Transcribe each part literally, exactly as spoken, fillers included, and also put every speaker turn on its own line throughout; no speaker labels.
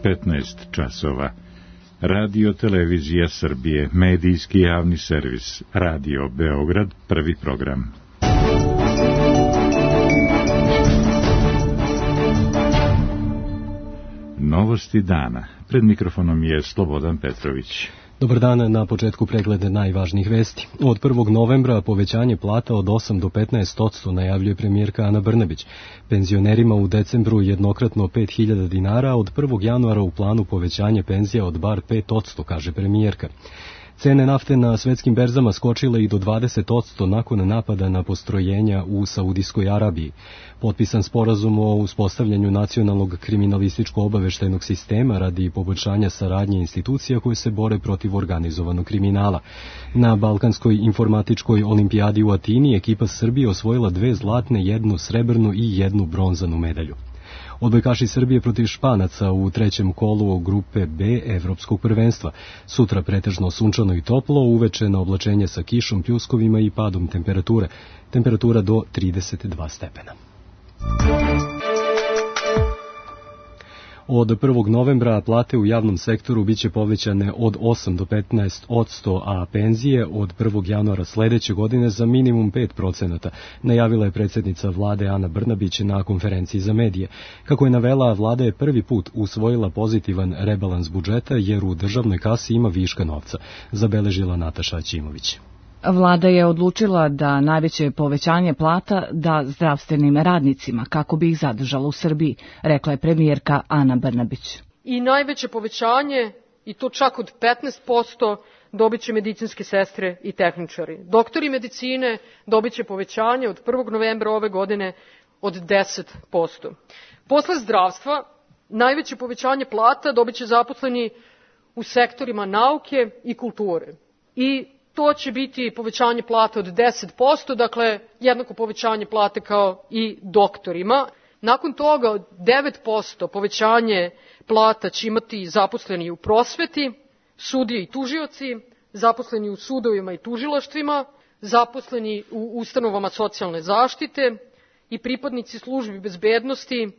petnaest časova. Radio Televizija Srbije, medijski javni servis, Radio Beograd, prvi program. Novosti dana. Pred mikrofonom je Slobodan Petrović.
Dobar dan, na početku preglede najvažnijih vesti. Od prvog novembra povećanje plata od osam do petnaest posto najavljuje premijerka Ana Brnabić. Penzionerima u decembru jednokratno pet hiljada dinara, od prvog januara u planu povećanje penzija od bar pet posto, kaže premijerka. Cene nafte na svetskim berzama skočile i do dvadeset posto nakon napada na postrojenja u Saudijskoj Arabiji. Potpisan sporazum o uspostavljanju nacionalnog kriminalističko-obaveštajnog sistema radi poboljšanja saradnje institucija koje se bore protiv organizovanog kriminala. Na Balkanskoj informatičkoj olimpijadi u Atini ekipa Srbije osvojila dve zlatne, jednu srebrnu i jednu bronzanu medalju. Odbojkaši Srbije protiv Španaca u trećem kolu grupe B Evropskog prvenstva. Sutra pretežno sunčano i toplo, uveče na oblačenje sa kišom, pljuskovima i padom temperature. Temperatura do trideset dva stepena. Od prvog novembra plate u javnom sektoru biće povećane od osam do petnaest posto, a penzije od prvog januara sledeće godine za minimum pet procenata, najavila je predsjednica vlade Ana Brnabić na konferenciji za medije. Kako je navela, vlada je prvi put usvojila pozitivan rebalans budžeta jer u državnoj kasi ima viška novca, zabeležila Nataša Aćimović.
Vlada je odlučila da najveće povećanje plata da zdravstvenim radnicima kako bi ih zadržala u Srbiji, rekla je premijerka Ana Brnabić.
I najveće povećanje, i to čak od petnaest posto, dobit će medicinske sestre i tehničari. Doktori medicine dobit će povećanje od prvog novembra ove godine od deset posto. Posle zdravstva, najveće povećanje plata dobit će zaposleni u sektorima nauke i kulture. I to će biti povećanje plata od deset posto, dakle jednako povećanje plate kao i doktorima. Nakon toga od devet posto povećanje plata će imati zaposleni u prosveti, sudije i tužioci, zaposleni u sudovima i tužilaštvima, zaposleni u ustanovama socijalne zaštite i pripadnici službi bezbednosti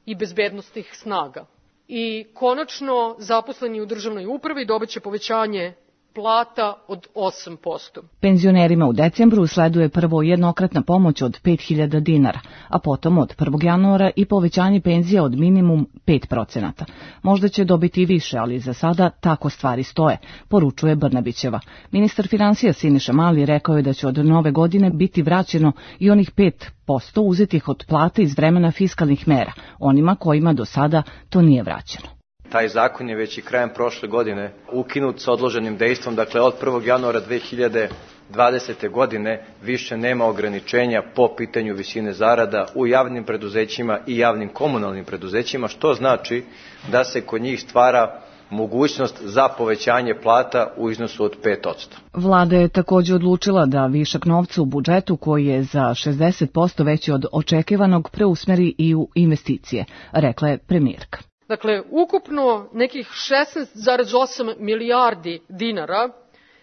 i bezbednosnih snaga. I konačno zaposleni u državnoj upravi dobit će povećanje plata od osam posto.
Penzionerima u decembru sleduje prvo jednokratna pomoć od pet hiljada dinara, a potom od prvog januara i povećanje penzija od minimum pet procenata. Možda će dobiti i više, ali za sada tako stvari stoje, poručuje Brnabićeva. Ministar finansija Siniša Mali rekao je da će od nove godine biti vraćeno i onih pet posto uzetih od plate iz vremena fiskalnih mera, onima kojima do sada to nije vraćeno.
Taj zakon je već i krajem prošle godine ukinut sa odloženim dejstvom, dakle od prvog januara dve hiljade dvadesete. godine više nema ograničenja po pitanju visine zarada u javnim preduzećima i javnim komunalnim preduzećima, što znači da se kod njih stvara mogućnost za povećanje plata u iznosu od pet posto.
Vlada je također odlučila da višak novca u budžetu, koji je za šezdeset posto veći od očekivanog, preusmeri i u investicije, rekla je premijerka.
Dakle, ukupno nekih šesnaest zarez osam milijardi dinara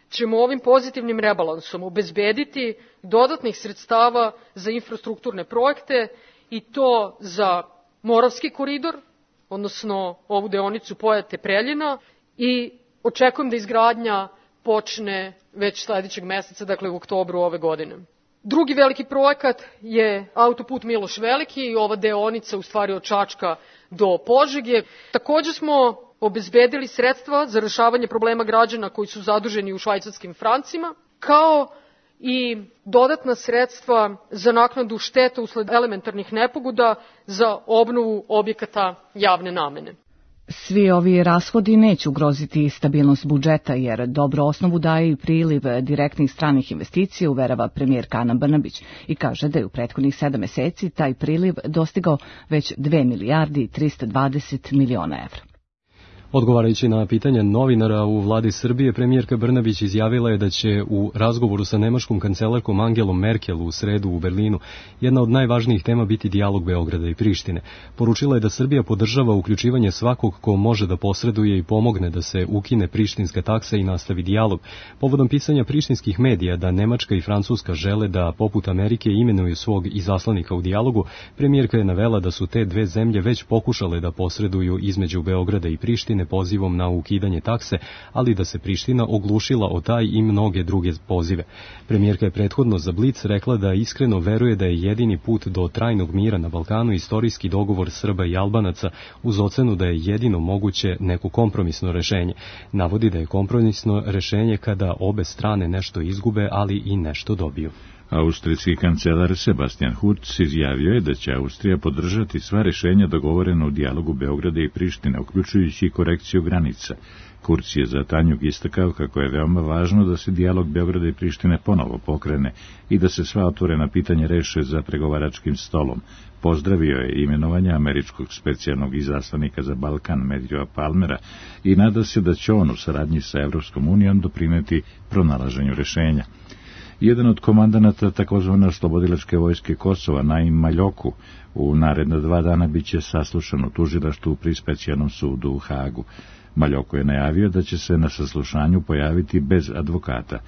ćemo ovim pozitivnim rebalansom obezbediti dodatnih sredstava za infrastrukturne projekte i to za Moravski koridor, odnosno ovu deonicu Pojate-Preljina, i očekujem da izgradnja počne već sledećeg meseca, dakle u oktobru ove godine. Drugi veliki projekat je autoput Miloš Veliki i ova deonica u stvari od Čačka do Požege. Također smo obezbedili sredstva za rešavanje problema građana koji su zaduženi u švajcarskim francima, kao i dodatna sredstva za naknadu šteta usled elementarnih nepogoda za obnovu objekata javne namene.
Svi ovi rashodi neće ugroziti stabilnost budžeta, jer dobro osnovu daje i priliv direktnih stranih investicija, uverava premijerka Ana Brnabić, i kaže da je u prethodnih sedam meseci taj priliv dostigao već dve milijarde i trista dvadeset miliona evra.
Odgovarajući na pitanje novinara u vladi Srbije, premijerka Brnabić izjavila je da će u razgovoru sa nemačkom kancelarkom Angelom Merkel u sredu u Berlinu jedna od najvažnijih tema biti dijalog Beograda i Prištine. Poručila je da Srbija podržava uključivanje svakog ko može da posreduje i pomogne da se ukine prištinska taksa i nastavi dijalog. Povodom pisanja prištinskih medija da Nemačka i Francuska žele da poput Amerike imenuju svog izaslanika u dijalogu, premijerka je navela da su te dve zemlje već pokušale da posreduju između Beograda i Prištine pozivom na ukidanje takse, ali da se Priština oglušila o taj i mnoge druge pozive. Premijerka je prethodno za Blic rekla da iskreno veruje da je jedini put do trajnog mira na Balkanu istorijski dogovor Srba i Albanaca, uz ocenu da je jedino moguće neko kompromisno rešenje. Navodi da je kompromisno rešenje kada obe strane nešto izgube, ali i nešto dobiju.
Austrijski kancelar Sebastian Kurz izjavio je da će Austrija podržati sva rešenja dogovorena u dijalogu Beograda i Prištine, uključujući i korekciju granica. Kurz je za Tanjug istakao kako je veoma važno da se dijalog Beograda i Prištine ponovo pokrene i da se sva otvorena pitanja reše za pregovaračkim stolom. Pozdravio je imenovanje američkog specijalnog izaslanika za Balkan Matthewa Palmera i nada se da će on u saradnji sa Evropskom unijom doprineti pronalaženju rešenja. Jedan od komandanata takozvane oslobodilačke vojske Kosova, Naim Maljoku, u naredna dva dana biće saslušan u tužilaštvu pri specijalnom sudu u Hagu. Maljoko je najavio da će se na saslušanju pojaviti bez advokata.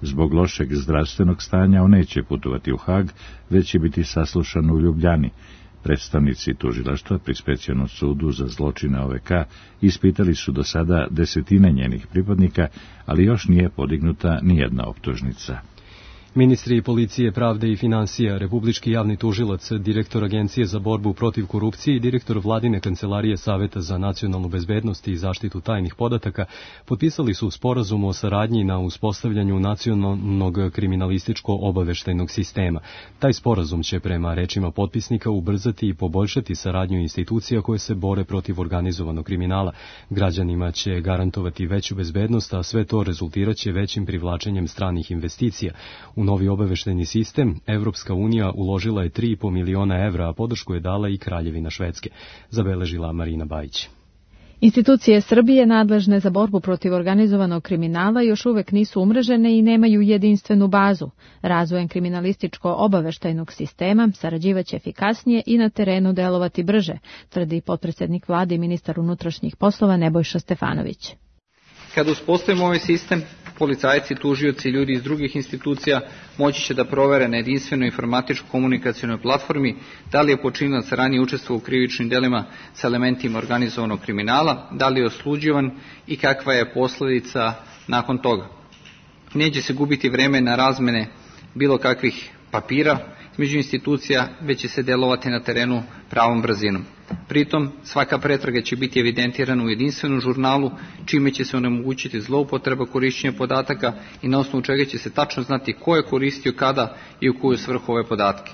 Zbog lošeg zdravstvenog stanja on neće putovati u Hag, već će biti saslušan u Ljubljani. Predstavnici tužilaštva pri specijalnom sudu za zločine O V K ispitali su do sada desetine njenih pripadnika, ali još nije podignuta nijedna optužnica.
Ministri policije, pravde i financija, republički javni tužilac, direktor Agencije za borbu protiv korupcije i direktor vladine kancelarije Saveta za nacionalnu bezbednost i zaštitu tajnih podataka potpisali su sporazum o saradnji na uspostavljanju nacionalnog kriminalističko-obaveštajnog sistema. Taj sporazum će prema rečima potpisnika ubrzati i poboljšati saradnju institucija koje se bore protiv organizovanog kriminala. Građanima će garantovati veću bezbednost, a sve to rezultiraće većim privlačenjem stranih investicija. U novi obaveštajni sistem Evropska unija uložila je tri i po miliona evra, a podršku je dala i Kraljevina Švedske, zabeležila Marina Bajić.
Institucije Srbije nadležne za borbu protiv organizovanog kriminala još uvek nisu umrežene i nemaju jedinstvenu bazu. Razvojem kriminalističko-obaveštajnog sistema sarađivaće efikasnije i na terenu delovati brže, tvrdi potpredsednik vlade i ministar unutrašnjih poslova Nebojša Stefanović.
Kada uspostavimo ovaj sistem, policajci, tužioci i ljudi iz drugih institucija moći će da provere na jedinstvenoj informatičko-komunikacionoj platformi da li je počinilac ranije učestvovao u krivičnim delima sa elementima organizovanog kriminala, da li je osuđivan i kakva je posledica nakon toga. Neće se gubiti vreme na razmene bilo kakvih papira između institucija, već će se delovati na terenu pravom brzinom. Pritom, svaka pretraga će biti evidentirana u jedinstvenom žurnalu, čime će se onemogućiti zloupotreba korišćenja podataka i na osnovu čega će se tačno znati ko je koristio kada i u koju svrhu ove podatke.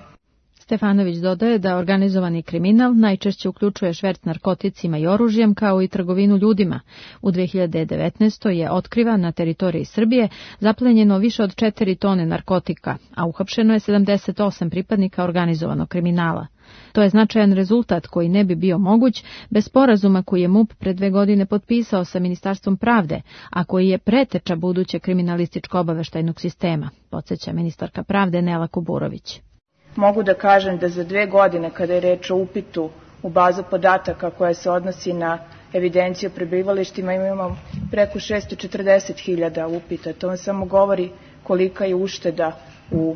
Stefanović dodaje da organizovani kriminal najčešće uključuje šverc narkoticima i oružjem kao i trgovinu ljudima. U dve hiljade devetnaestoj je otkrivan na teritoriji Srbije zaplenjeno više od četiri tone narkotika, a uhapšeno je sedamdeset osam pripadnika organizovanog kriminala. To je značajan rezultat koji ne bi bio moguć bez sporazuma koji je MUP pre dve godine potpisao sa Ministarstvom pravde, a koji je preteča budućeg kriminalističko-obaveštajnog sistema, podsjeća ministarka pravde Nela Kuburović.
Mogu da kažem da za dve godine, kada je reč o upitu u bazu podataka koja se odnosi na evidenciju o prebivalištima, imamo preko šesto četrdeset hiljada upita. To vam samo govori kolika je ušteda u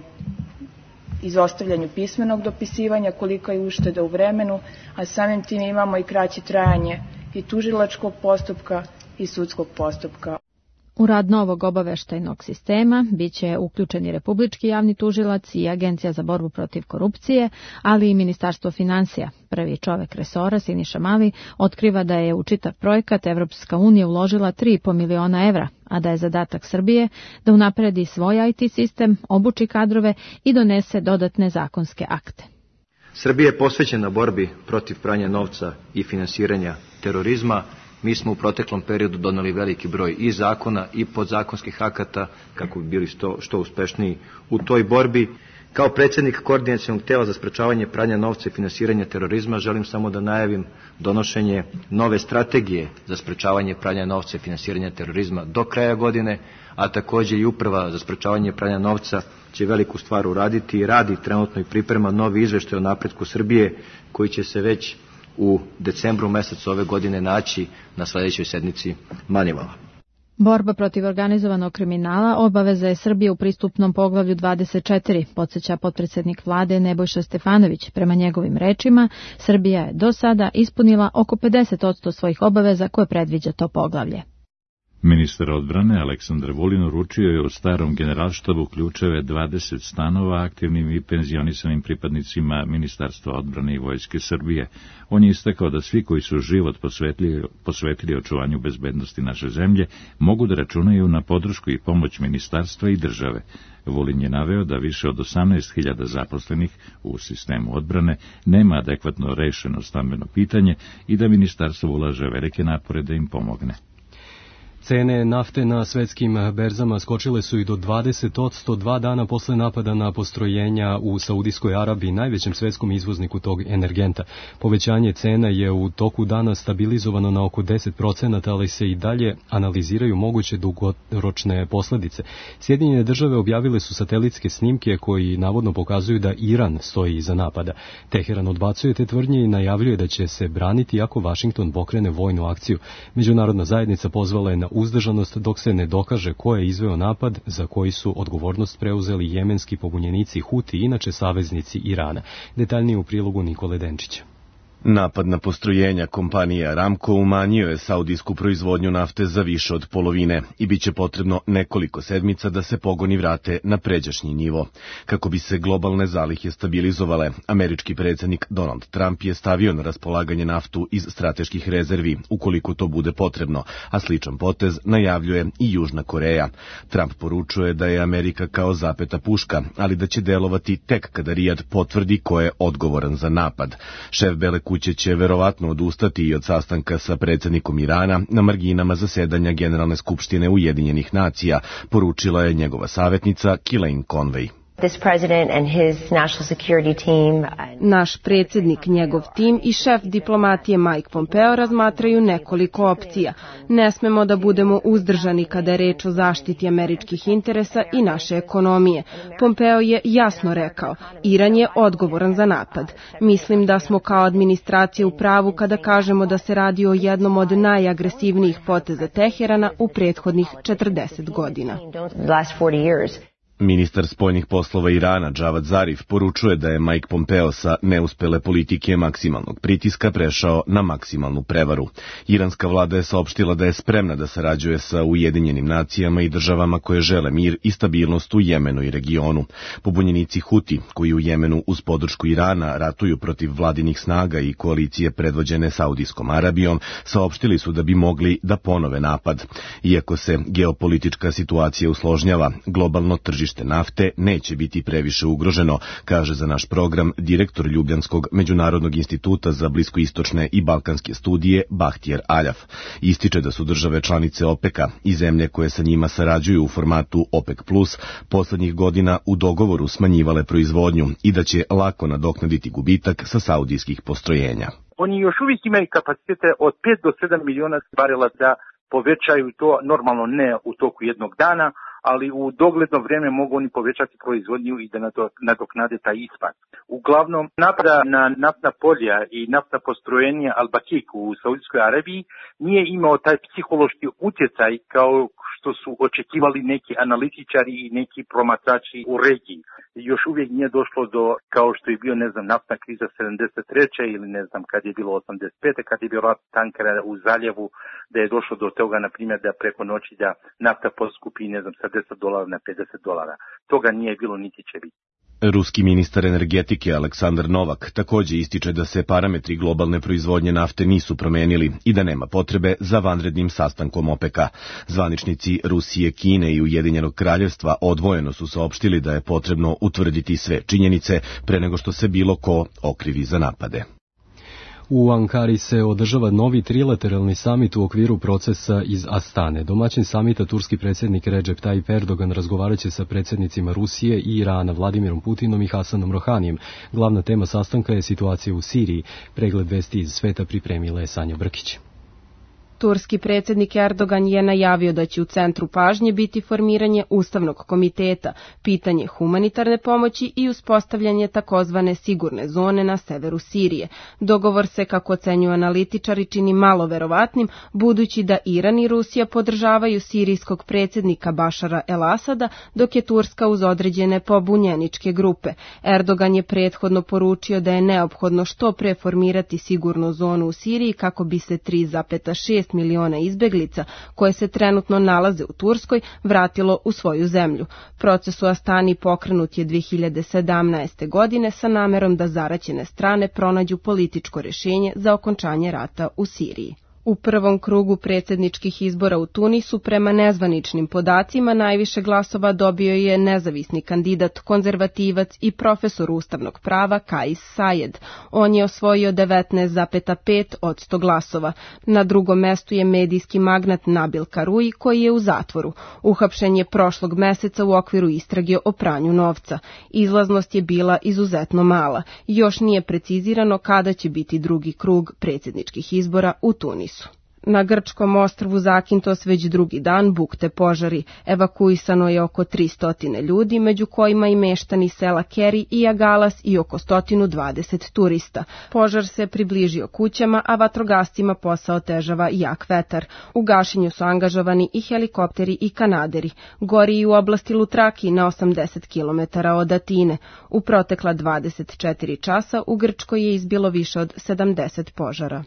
izostavljanju pismenog dopisivanja, kolika je ušteda u vremenu, a samim tim imamo i kraće trajanje i tužilačkog postupka i sudskog postupka.
U rad novog obaveštajnog sistema biće uključeni Republički javni tužilac i Agencija za borbu protiv korupcije, ali i Ministarstvo finansija. Prvi čovek resora, Siniša Mali, otkriva da je u čitav projekat Evropska unija uložila tri i po miliona evra, a da je zadatak Srbije da unapredi svoj I T sistem, obuči kadrove i donese dodatne zakonske akte.
Srbija je posvećena borbi protiv pranja novca i finansiranja terorizma. Mi smo u proteklom periodu doneli veliki broj i zakona i podzakonskih akata kako bi bili što, što uspešniji u toj borbi. Kao predsjednik Koordinacionog tela za sprečavanje pranja novca i finansiranja terorizma želim samo da najavim donošenje nove strategije za sprečavanje pranja novca i finansiranja terorizma do kraja godine, a također i Uprava za sprečavanje pranja novca će veliku stvar uraditi i radi trenutno i priprema novi izveštaj o napretku Srbije koji će se već u decembru mesecu ove godine naći na sljedećoj sednici Manivala.
Borba protiv organizovanog kriminala obaveza je Srbije u pristupnom poglavlju dvadeset četiri, podsjeća potpredsjednik vlade Nebojša Stefanović. Prema njegovim rečima, Srbija je do sada ispunila oko pedeset posto svojih obaveza koje predviđa to poglavlje.
Ministar odbrane Aleksandar Vulin uručio je u starom generalštabu ključeve dvadeset stanova aktivnim i penzionisanim pripadnicima Ministarstva odbrane i Vojske Srbije. On je istakao da svi koji su život posvetili, posvetili očuvanju bezbednosti naše zemlje mogu da računaju na podršku i pomoć ministarstva i države. Vulin je naveo da više od osamnaest hiljada zaposlenih u sistemu odbrane nema adekvatno rešeno stambeno pitanje i da ministarstvo ulaže velike napore da im pomogne.
Cene nafte na svetskim berzama skočile su i do dvadeset posto dva dana posle napada na postrojenja u Saudijskoj Arabiji, najvećem svetskom izvozniku tog energenta. Povećanje cena je u toku dana stabilizovano na oko deset procenata, ali se i dalje analiziraju moguće dugoročne posledice. Sjedinjene države objavile su satelitske snimke koji navodno pokazuju da Iran stoji iza napada. Teheran odbacuje te tvrdnje i najavljuje da će se braniti ako Vašington pokrene vojnu akciju. Međunarodna zajednica pozvala je na uzdržanost dok se ne dokaže ko je izveo napad za koji su odgovornost preuzeli jemenski pobunjenici Huti, inače saveznici Irana. Detaljnije u prilogu Nikole Denčića.
Napad na postrojenja kompanije Aramco umanjio je saudijsku proizvodnju nafte za više od polovine i bit će potrebno nekoliko sedmica da se pogoni vrate na pređašnji nivo. Kako bi se globalne zalihe stabilizovale, američki predsjednik Donald Trump je stavio na raspolaganje naftu iz strateških rezervi, ukoliko to bude potrebno, a sličan potez najavljuje i Južna Koreja. Trump poručuje da je Amerika kao zapeta puška, ali da će delovati tek kada Rijad potvrdi ko je odgovoran za napad. Šef Bele kuće će verovatno odustati i od sastanka sa predsjednikom Irana na marginama zasedanja Generalne skupštine Ujedinjenih nacija, poručila je njegova savjetnica Kellyanne Conway.
Naš predsjednik, njegov tim i šef diplomatije Mike Pompeo razmatraju nekoliko opcija. Ne smemo da budemo uzdržani kada je reč o zaštiti američkih interesa i naše ekonomije. Pompeo je jasno rekao, Iran je odgovoran za napad. Mislim da smo kao administracija u pravu kada kažemo da se radi o jednom od najagresivnijih poteza Teherana u prethodnih četrdeset godina.
Ministar spoljnih poslova Irana Javad Zarif poručuje da je Mike Pompeo sa neuspele politike maksimalnog pritiska prešao na maksimalnu prevaru. Iranska vlada je saopštila da je spremna da sarađuje sa Ujedinjenim nacijama i državama koje žele mir i stabilnost u Jemenu i regionu. Pobunjenici Huti, koji u Jemenu uz podršku Irana ratuju protiv vladinih snaga i koalicije predvođene Saudijskom Arabijom, saopštili su da bi mogli da ponove napad. Iako se geopolitička situacija usložnjava, globalno tržište nafte neće biti previše ugroženo, kaže za naš program direktor Ljubljanskog međunarodnog instituta za bliskoistočne i balkanske studije Bahtjer Aljaf. Ističe da su države članice OPEC-a i zemlje koje sa njima sarađuju u formatu OPEC plus poslednjih godina u dogovoru smanjivale proizvodnju i da će lako nadoknaditi gubitak sa saudijskih postrojenja.
Oni još uvijek imaju kapacitete od pet do sedam miliona barela da povećaju to, normalno ne u toku jednog dana, ali u dogledno vrijeme mogu oni povećati proizvodnju i da nadoknade taj ispad. Uglavnom, napada na naftna polja i naftna postrojenja Al-Bakik u Saudijskoj Arabiji nije imao taj psihološki utjecaj kao što su očekivali neki analitičari i neki promatrači u regiji. Još uvijek nije došlo do, kao što je bio, ne znam, naftna kriza sedamdeset treće ili ne znam kad je bilo osamdeset pete kad je bilo rat tankera u zaljevu, da je došlo do toga, na primjer, da preko noći da nafta poskupi, ne znam, sa deset dolara na pedeset dolara. Toga nije bilo niti će biti.
Ruski ministar energetike Aleksandar Novak također ističe da se parametri globalne proizvodnje nafte nisu promenili i da nema potrebe za vanrednim sastankom OPEC-a. Zvaničnici Rusije, Kine i Ujedinjenog kraljevstva odvojeno su saopštili da je potrebno utvrditi sve činjenice pre nego što se bilo ko okrivi za napade.
U Ankari se održava novi trilateralni samit u okviru procesa iz Astane. Domaćin samita turski predsjednik Recep Tayyip Erdogan razgovarat će sa predsjednicima Rusije i Irana Vladimirom Putinom i Hasanom Rohanijem. Glavna tema sastanka je situacija u Siriji. Pregled vesti iz sveta pripremila je Sanja Brkić.
Turski predsjednik Erdogan je najavio da će u centru pažnje biti formiranje Ustavnog komiteta, pitanje humanitarne pomoći i uspostavljanje takozvane sigurne zone na severu Sirije. Dogovor se, kako ocenjuju analitičari, čini malo verovatnim, budući da Iran i Rusija podržavaju sirijskog predsjednika Bašara el-Asada, dok je Turska uz određene pobunjeničke grupe. Erdogan je prethodno poručio da je neophodno što pre formirati sigurnu zonu u Siriji kako bi se tri zarez šest miliona izbeglica koje se trenutno nalaze u Turskoj vratilo u svoju zemlju. Proces u Astani pokrenut je dve hiljade sedamnaeste. godine sa namerom da zaraćene strane pronađu političko rješenje za okončanje rata u Siriji. U prvom krugu predsjedničkih izbora u Tunisu prema nezvaničnim podacima najviše glasova dobio je nezavisni kandidat, konzervativac i profesor ustavnog prava Kais Saied. On je osvojio devetnaest zarez pet posto glasova. Na drugom mestu je medijski magnat Nabil Karoui, koji je u zatvoru. Uhapšen je prošlog meseca u okviru istrage o pranju novca. Izlaznost je bila izuzetno mala. Još nije precizirano kada će biti drugi krug predsjedničkih izbora u Tunisu. Na grčkom ostrvu Zakintos već drugi dan bukte požari. Evakuisano je oko tristo ljudi, među kojima i meštani sela Keri i Agalas i oko sto dvadeset turista. Požar se približio kućama, a vatrogascima posao otežava jak vetar. U gašenju su angažovani i helikopteri i kanaderi. Gori i u oblasti Lutraki na osamdeset kilometara od Atine. U protekla dvadeset četiri časa u Grčkoj je izbilo više od sedamdeset požara.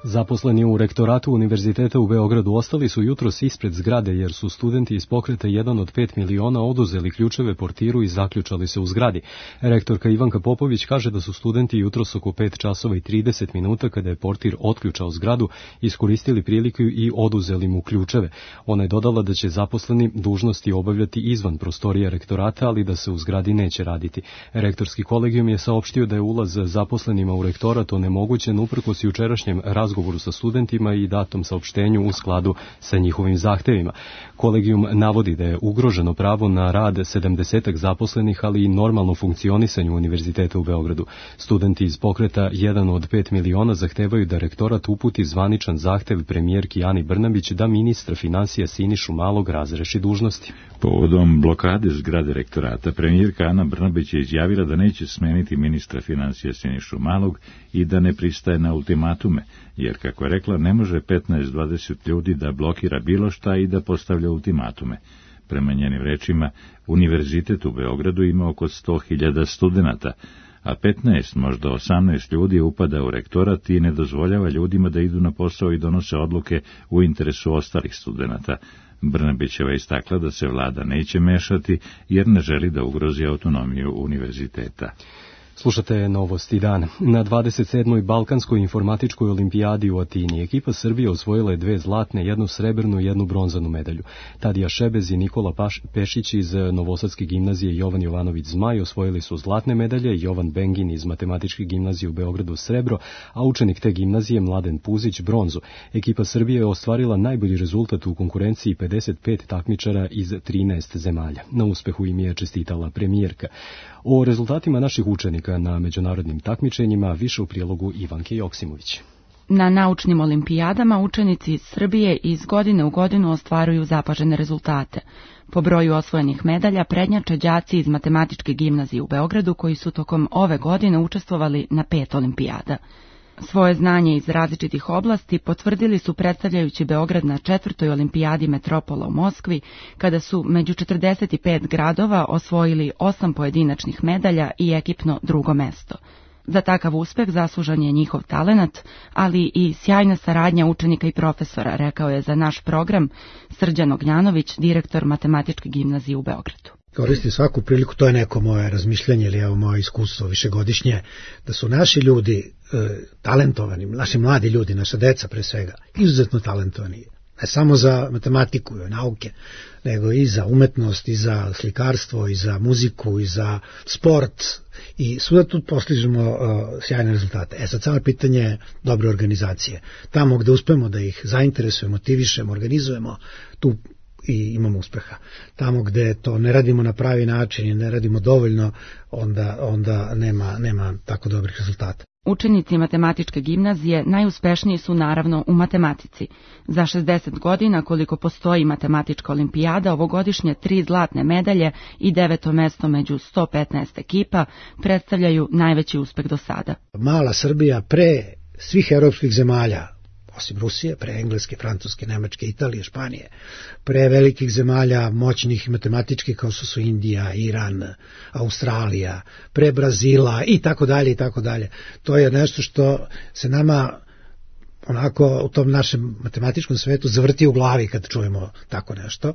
Zaposleni u rektoratu Univerziteta u Beogradu ostali su jutros ispred zgrade jer su studenti iz pokreta jedan od pet miliona oduzeli ključeve portiru i zaključali se u zgradi. Rektorka Ivanka Popović kaže da su studenti jutros oko pet časova i trideset minuta, kada je portir otključao zgradu, iskoristili priliku i oduzeli mu ključeve. Ona je dodala da će zaposleni dužnosti obavljati izvan prostorija rektorata, ali da se u zgradi neće raditi. Rektorski kolegijum je saopštio da je ulaz zaposlenima u rektorat onemogućen uprkos jučerašnjem razgovoru sa studentima i datom saopštenju u skladu sa njihovim zahtevima. Kolegijum navodi da je ugroženo pravo na rad sedamdesetak zaposlenih, ali i normalno funkcionisanje Univerziteta u Beogradu. Studenti iz pokreta jedan od pet miliona zahtevaju da rektorat uputi zvaničan zahtev premijerki Ani Brnabić da ministra finansija Sinišu Malog razreši dužnosti.
Povodom blokade zgrade rektorata, premijerka Ana Brnabić je izjavila da neće smeniti ministra finansija Sinišu Malog i da ne pristaje na ultimatume, jer, kako je rekla, ne može petnaest do dvadeset ljudi da blokira bilo šta i da postavlja ultimatume. Prema njenim rečima, Univerzitet u Beogradu ima oko sto hiljada studenata, a petnaest, možda osamnaest ljudi upada u rektorat i ne dozvoljava ljudima da idu na posao i donose odluke u interesu ostalih studenata. Brnabićeva istakla da se vlada neće mešati jer ne želi da ugrozi autonomiju univerziteta.
Slušate Novosti dana. Na dvadeset sedmoj Balkanskoj informatičkoj olimpijadi u Atini ekipa Srbije osvojila je dve zlatne, jednu srebrnu i jednu bronzanu medalju. Tadija Šebez i Nikola Paš, Pešić iz Novosadske gimnazije i Jovan Jovanović Zmaj osvojili su zlatne medalje, Jovan Bengin iz Matematičke gimnazije u Beogradu srebro, a učenik te gimnazije Mladen Puzić bronzu. Ekipa Srbije je ostvarila najbolji rezultat u konkurenciji pedeset pet takmičara iz trinaest zemalja. Na uspehu im je čestitala premijerka. O rezultatima naših učenika na međunarodnim takmičenjima više u prilogu Ivanke Joksimović.
Na naučnim olimpijadama učenici iz Srbije iz godine u godinu ostvaruju zapažene rezultate. Po broju osvojenih medalja prednjače đaci iz Matematičke gimnazije u Beogradu koji su tokom ove godine učestvovali na pet olimpijada. Svoje znanje iz različitih oblasti potvrdili su predstavljajući Beograd na četvrtoj olimpijadi Metropola u Moskvi, kada su među četrdeset pet gradova osvojili osam pojedinačnih medalja i ekipno drugo mesto. Za takav uspeh zaslužan je njihov talenat, ali i sjajna saradnja učenika i profesora, rekao je za naš program Srđan Ognjanović, direktor Matematičke gimnazije u Beogradu.
Koristim svaku priliku, to je neko moje razmišljanje ili evo moje iskustvo višegodišnje, da su naši ljudi e, talentovani, naši mladi ljudi, naša deca pre svega, izuzetno talentovani. Ne samo za matematiku i nauke, nego i za umetnost, i za slikarstvo, i za muziku, i za sport, i svuda tu postižemo uh, sjajne rezultate. E sad samo pitanje je dobre organizacije. Tamo gde uspemo da ih zainteresujemo, motivišemo, organizujemo, tu i imamo uspeha. Tamo gde to ne radimo na pravi način i ne radimo dovoljno, onda, onda nema, nema tako dobrih rezultata.
Učenici matematičke gimnazije najuspešniji su naravno u matematici. Za šezdeset godina koliko postoji matematička olimpijada, ovogodišnje tri zlatne medalje i deveto mesto među sto petnaest ekipa predstavljaju najveći uspeh do sada.
Mala Srbija pre svih evropskih zemalja, osim Rusije, pre Engleske, Francuske, Nemačke, Italije, Španije, pre velikih zemalja moćnih matematičkih kao što su Indija, Iran, Australija, pre Brazila i tako dalje i tako dalje. To je nešto što se nama onako u tom našem matematičkom svetu zavrti u glavi kad čujemo tako nešto.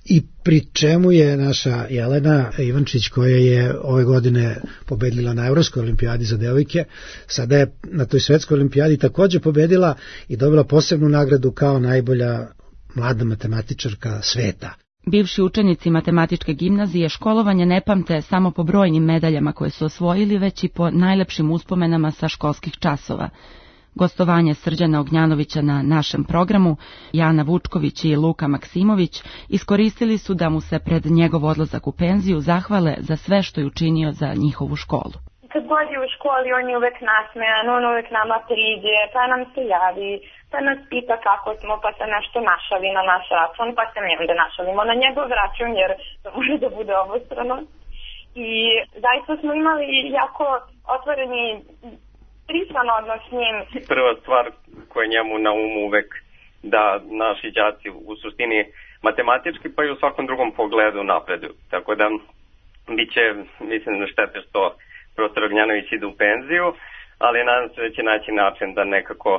I pri čemu je naša Jelena Ivančić, koja je ove godine pobedila na Evropskoj olimpijadi za devojke, sada je na toj svetskoj olimpijadi takođe pobedila i dobila posebnu nagradu kao najbolja mlada matematičarka sveta.
Bivši učenici matematičke gimnazije školovanje ne pamte samo po brojnim medaljama koje su osvojili, već i po najlepšim uspomenama sa školskih časova. Gostovanje Srđana Ognjanovića na našem programu, Jana Vučković i Luka Maksimović iskoristili su da mu se pred njegov odlazak u penziju zahvale za sve što je učinio za njihovu školu.
Kad god je u školi, on je uvek nasmejan, on uvek nama priđe, pa nam se javi, pa nas pita kako smo, pa se nešto našali na naš račun, pa se mi onda našalimo na njegov račun, jer to može da bude obostrano. I zaista smo imali jako otvoreni prisan odnos s njim.
Prva stvar koja je njemu na umu uvek da naši đaci u suštini matematički pa i u svakom drugom pogledu napreduju. Tako da bit će, mislim, štete što profesor Ognjanović ide u penziju, ali nadam se da će naći način da nekako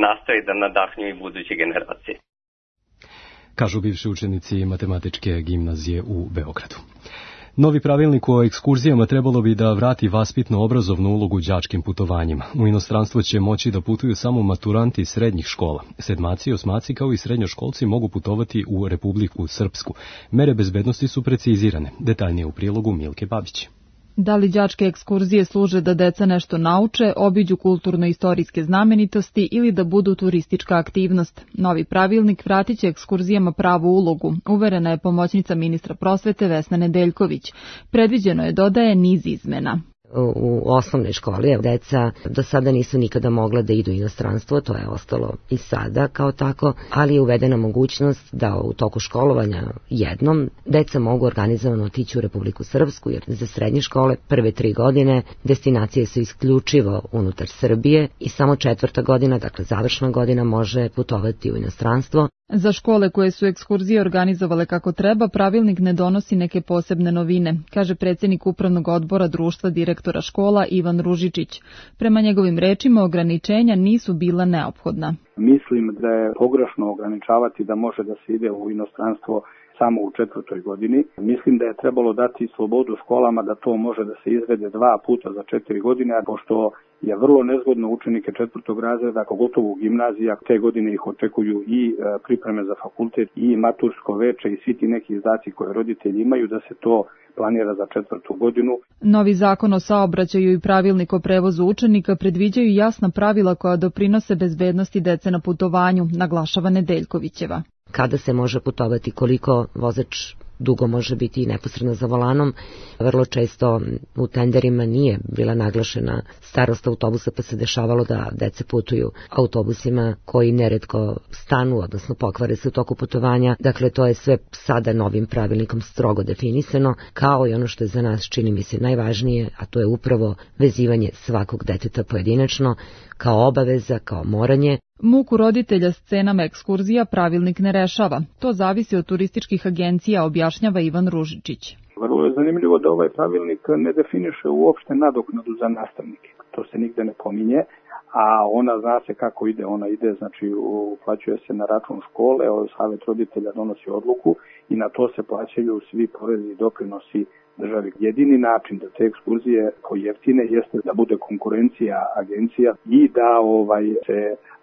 nastavi da nadahnju i buduće generacije.
Kažu bivši učenici matematičke gimnazije u Beogradu. Novi pravilnik o ekskurzijama trebalo bi da vrati vaspitno-obrazovnu ulogu đačkim putovanjima. U inostranstvo će moći da putuju samo maturanti srednjih škola. Sedmaci i osmaci kao i srednjoškolci mogu putovati u Republiku Srpsku. Mere bezbednosti su precizirane. Detaljnije u prilogu Milke Babić.
Da li đačke ekskurzije služe da deca nešto nauče, obiđu kulturno-istorijske znamenitosti ili da budu turistička aktivnost? Novi pravilnik vratit će ekskurzijama pravu ulogu, uverena je pomoćnica ministra prosvete Vesna Nedeljković. Predviđeno je, dodaje, niz izmena.
U osnovnoj školi deca do sada nisu nikada mogla da idu u inostranstvo, to je ostalo i sada kao tako, ali je uvedena mogućnost da u toku školovanja jednom deca mogu organizovano otići u Republiku Srpsku, jer za srednje škole prve tri godine destinacije su isključivo unutar Srbije i samo četvrta godina, dakle završna godina, može putovati u inostranstvo.
Za škole koje su ekskurzije organizovale kako treba, pravilnik ne donosi neke posebne novine, kaže predsjednik upravnog odbora društva direktora škola Ivan Ružičić. Prema njegovim rečima, ograničenja nisu bila neophodna.
Mislim da je pogrešno ograničavati da može da se ide u inostranstvo samo u četvrtoj godini. Mislim da je trebalo dati slobodu školama da to može da se izvede dva puta za četiri godine, a pošto je vrlo nezgodno učenike četvrtog razreda, pogotovo u gimnazija, te godine ih očekuju i pripreme za fakultet i matursko veče i svi ti neki izdaci koje roditelji imaju, da se to planira za četvrtu godinu.
Novi zakon o saobraćaju i pravilnik o prevozu učenika predviđaju jasna pravila koja doprinose bezbednosti dece na putovanju, naglašava Nedeljkovićeva.
Kada se može putovati, koliko vozač dugo može biti neposredno za volanom. Vrlo često u tenderima nije bila naglašena starost autobusa, pa se dešavalo da dece putuju autobusima koji neretko stanu, odnosno pokvare se u toku putovanja. Dakle, to je sve sada novim pravilnikom strogo definisano, kao i ono što je za nas, čini mi se, najvažnije, a to je upravo vezivanje svakog deteta pojedinačno, kao obaveza, kao moranje.
Muku roditelja s cenama ekskurzija pravilnik ne rešava. To zavisi od turističkih agencija, objašnjava Ivan Ružičić.
Vrlo je zanimljivo da ovaj pravilnik ne definiše uopšte nadoknadu za nastavnike. To se nigde ne pominje, a ona zna se kako ide. Ona ide, znači uplaćuje se na račun škole, savet roditelja donosi odluku i na to se plaćaju svi porezi i doprinosi državi. Jedini način da te ekskurzije pojeftine jeste da bude konkurencija agencija i da ovaj se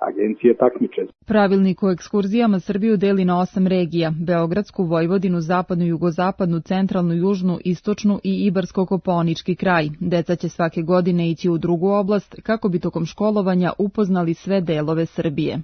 agencije takmiče.
Pravilnik o ekskurzijama Srbiju deli na osam regija: Beogradsku, Vojvodinu, Zapadnu, Jugozapadnu, Centralnu, Južnu, Istočnu i Ibarsko-Kopaonički kraj. Deca će svake godine ići u drugu oblast kako bi tokom školovanja upoznali sve delove Srbije.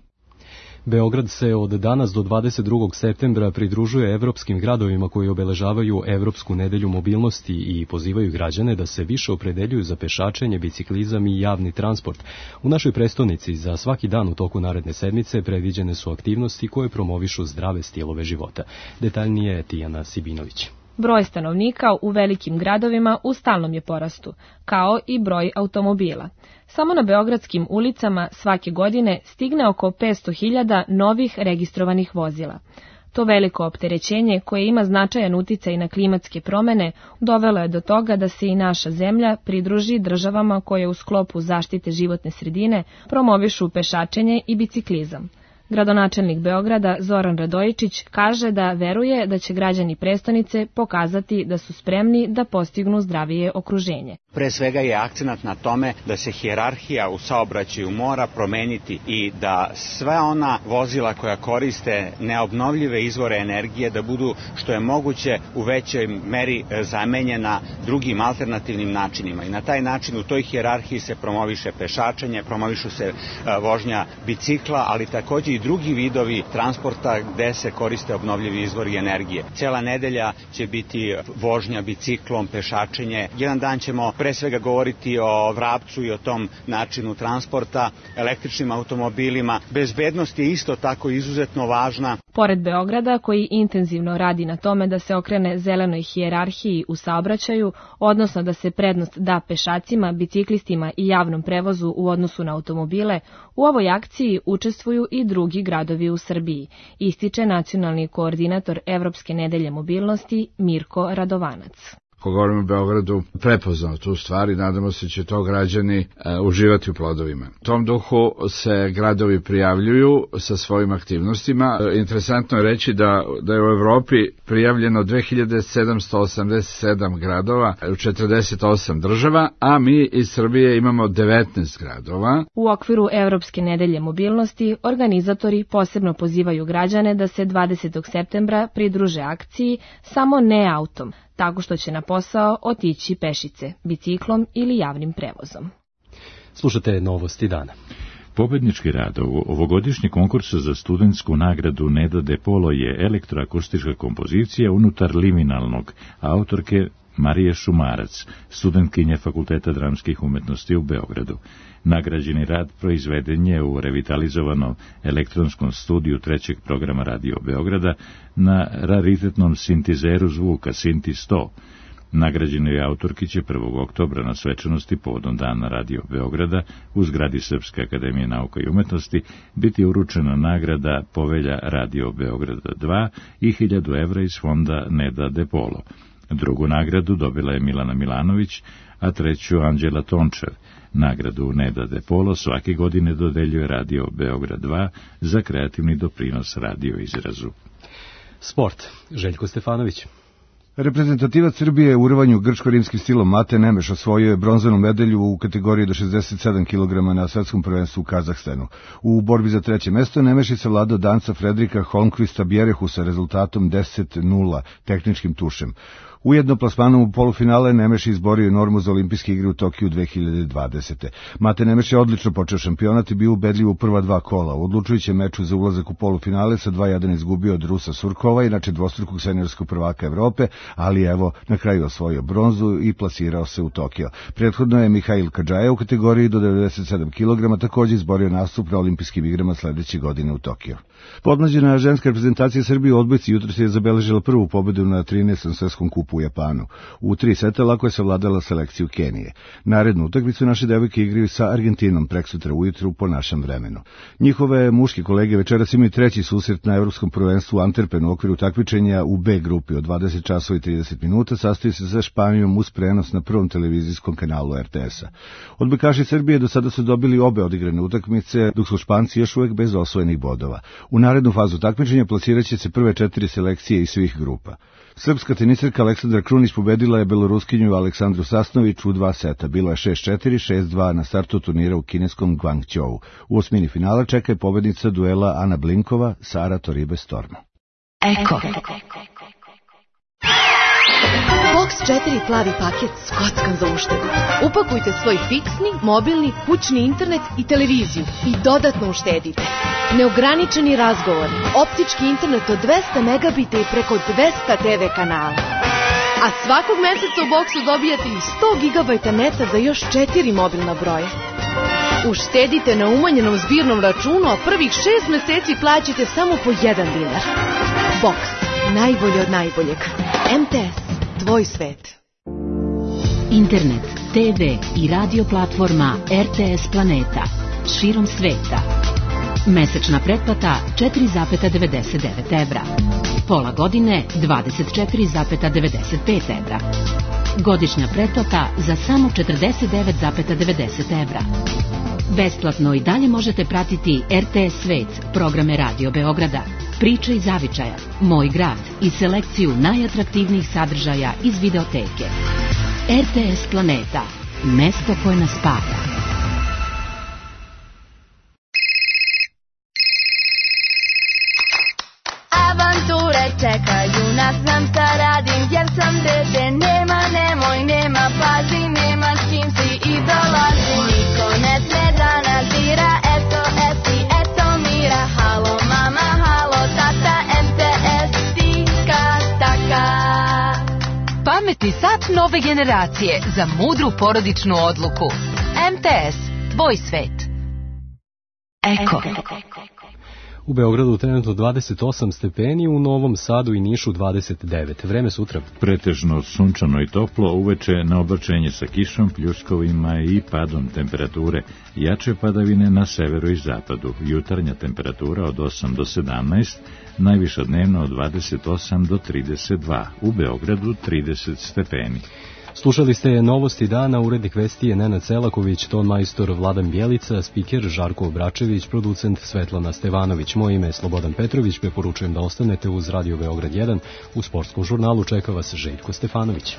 Beograd se od danas do dvadeset drugog septembra pridružuje evropskim gradovima koji obeležavaju Evropsku nedelju mobilnosti i pozivaju građane da se više opredeljuju za pešačenje, biciklizam i javni transport. U našoj prestonici za svaki dan u toku naredne sedmice predviđene su aktivnosti koje promovišu zdrave stilove života. Detaljnije je Tijana Sibinović.
Broj stanovnika u velikim gradovima u stalnom je porastu, kao i broj automobila. Samo na beogradskim ulicama svake godine stigne oko petsto hiljada novih registrovanih vozila. To veliko opterećenje, koje ima značajan uticaj na klimatske promene, dovelo je do toga da se i naša zemlja pridruži državama koje u sklopu zaštite životne sredine promovišu pešačenje i biciklizam. Gradonačelnik Beograda Zoran Radojičić kaže da veruje da će građani prestonice pokazati da su spremni da postignu zdravije okruženje.
Pre svega je akcenat na tome da se hijerarhija u saobraćaju mora promeniti i da sva ona vozila koja koriste neobnovljive izvore energije da budu što je moguće u većoj meri zamenjena drugim alternativnim načinima. I na taj način u toj hijerarhiji se promoviše pešačenje, promovišu se vožnja bicikla, ali takođe i drugi vidovi transporta gde se koriste obnovljivi izvori energije. Cela nedelja će biti vožnja biciklom, pešačenje. Jedan dan ćemo pre svega govoriti o vrapcu i o tom načinu transporta, električnim automobilima. Bezbednost je isto tako izuzetno važna.
Pored Beograda, koji intenzivno radi na tome da se okrene zelenoj hijerarhiji u saobraćaju, odnosno da se prednost da pešacima, biciklistima i javnom prevozu u odnosu na automobile, u ovoj akciji učestvuju i drugi gradovi u Srbiji, ističe nacionalni koordinator Evropske nedelje mobilnosti Mirko Radovanac.
Ko govorimo o Beogradu, prepoznao tu stvar i nadamo se će to građani e, uživati u plodovima. U tom duhu se gradovi prijavljuju sa svojim aktivnostima. E, interesantno je reći da, da je u Evropi prijavljeno dve hiljade sedamsto osamdeset sedam gradova u četrdeset osam država, a mi iz Srbije imamo devetnaest gradova.
U okviru Evropske nedelje mobilnosti organizatori posebno pozivaju građane da se dvadesetog septembra pridruže akciji samo ne autom, tako što će na posao otići pešice, biciklom ili javnim prevozom.
Slušate Novosti dana.
Pobednički rad ovogodišnjeg konkursa za studentsku nagradu Neda De Polo je elektroakustička kompozicija unutar liminalnog, autorke Marije Šumarac, studentkinje Fakulteta dramskih umetnosti u Beogradu. Nagrađeni rad proizveden je u revitalizovanom elektronskom studiju trećeg programa Radio Beograda na raritetnom sintizeru zvuka Sinti sto. Nagrađenoj autorki će prvog oktobra na svečanosti povodom dana Radio Beograda u zgradi Srpske akademije nauka i umetnosti biti uručena nagrada Povelja Radio Beograda dva i hiljadu evra iz fonda Neda De Polo. Drugu nagradu dobila je Milana Milanović, a treću Anđela Tončev. Nagradu Neda De Polo svake godine dodeljuje Radio Beograd dva za kreativni doprinos radio izrazu.
Sport. Željko Stefanović.
Reprezentativac Srbije u rvanju grčko-rimskim stilom Mate Nemeš osvojio je bronzanu medalju u kategoriji do šezdeset sedam kilograma na svetskom prvenstvu u Kazahstanu. U borbi za treće mesto Nemeš je savladao Danca Fredrika Holmqvista Bjerehu sa rezultatom deset nula tehničkim tušem. Ujedno plasmanom u polufinale Nemeš izborio normu za olimpijske igre u Tokiju dve hiljade dvadesete. Mate Nemeš je odlično počeo šampionat i bio ubedljiv u prva dva kola. U odlučujućem meču za ulazak u polufinale sa dva jedan izgubio od Rusa Surkova, inače dvostrukog seniorskog prvaka Evrope, ali evo na kraju osvojio bronzu i plasirao se u Tokio. Prethodno je Mihail Kadžaja u kategoriji do devedeset sedam kilograma također izborio nastup na olimpijskim igrama sledeće godine u Tokiju. Podmlađena ženska reprezentacija Srbije u odbojci jutros je zabeležila prvu pobedu na trinaestom svetskom kupu u Japanu. U tri seta lako je savladala selekciju Kenije. Narednu utakmicu naše devojke igraju sa Argentinom preksutra ujutru po našem vremenu. Njihove muške kolege večeras imaju treći susret na evropskom prvenstvu u Antwerpenu u okviru takmičenja u B grupi od dvadeset časova i trideset minuta, sastoji se sa Španijom uz prenos na prvom televizijskom kanalu R T S-a. Odbojkaši Srbije do sada su dobili obe odigrane utakmice, dok su Španci još uvek bez osvojenih bodova. U narednu fazu takmičenja plasirat će se prve četiri selekcije iz svih grupa. Srpska teniserka Aleksandra Krunić pobedila je beloruskinju Aleksandru Sasnović u dva seta. Bilo je šest četiri, šest dva na startu turnira u kineskom Guangzhou. U osmini finala čeka je pobednica duela Ana Blinkova, Sara Toribe Storm.
Eko. Box četiri plavi paket s kockan za uštedu. Upakujte svoj fiksni, mobilni, kućni internet i televiziju i dodatno uštedite. Neograničeni razgovori, optički internet od dvesta megabita i preko dvesta te ve kanala. A svakog meseca u Boxu dobijate i sto gigabajta neta za još četiri mobilna broja. Uštedite na umanjenom zbirnom računu, a prvih šest meseci plaćate samo po jedan dinar. Box. Najbolje od najboljeg. em te es. Tvoj svet.
Internet, te ve i radio platforma er te es Planeta. Širom sveta. Mesečna pretplata četiri zarez devedeset devet evra. Pola godine dvadeset četiri zarez devedeset pet evra. Godišnja pretplata za samo četrdeset devet zarez devedeset evra. Besplatno i dalje možete pratiti er te es Svet, programe Radio Beograda, Priče iz zavičaja, Moj grad i selekciju najatraktivnijih sadržaja iz videoteke. er te es Planeta, mesto koje nas spaja.
Avanture čekaju nas, znam šta radim, jer sam dete, nema, nemoj, nema, pazi, nema s kim si i dolazi. Niko ne sme da nas dira, eto, esi, eto, mira, halo, mama, halo, tata, em te es, tika, taka. Pametni sat nove generacije za mudru porodičnu odluku. em te es, tvoj svet. Eko.
U Beogradu trenutno dvadeset osam stepeni, u Novom Sadu i Nišu dvadeset devet. Vreme sutra.
Pretežno sunčano i toplo, uveče na oblačenje sa kišom, pljuskovima i padom temperature. Jače padavine na severu i zapadu. Jutarnja temperatura od osam do sedamnaest, najviša dnevno od dvadeset osam do trideset dva. U Beogradu trideset stepeni.
Slušali ste novosti dana, urednik vesti je Nenad Selaković, ton majstor Vladan Bjelica, spiker Žarko Obračević, producent Svetlana Stevanović. Moje ime je Slobodan Petrović, preporučujem da ostanete uz Radio Beograd jedan. U sportskom žurnalu čeka vas Željko Stefanović.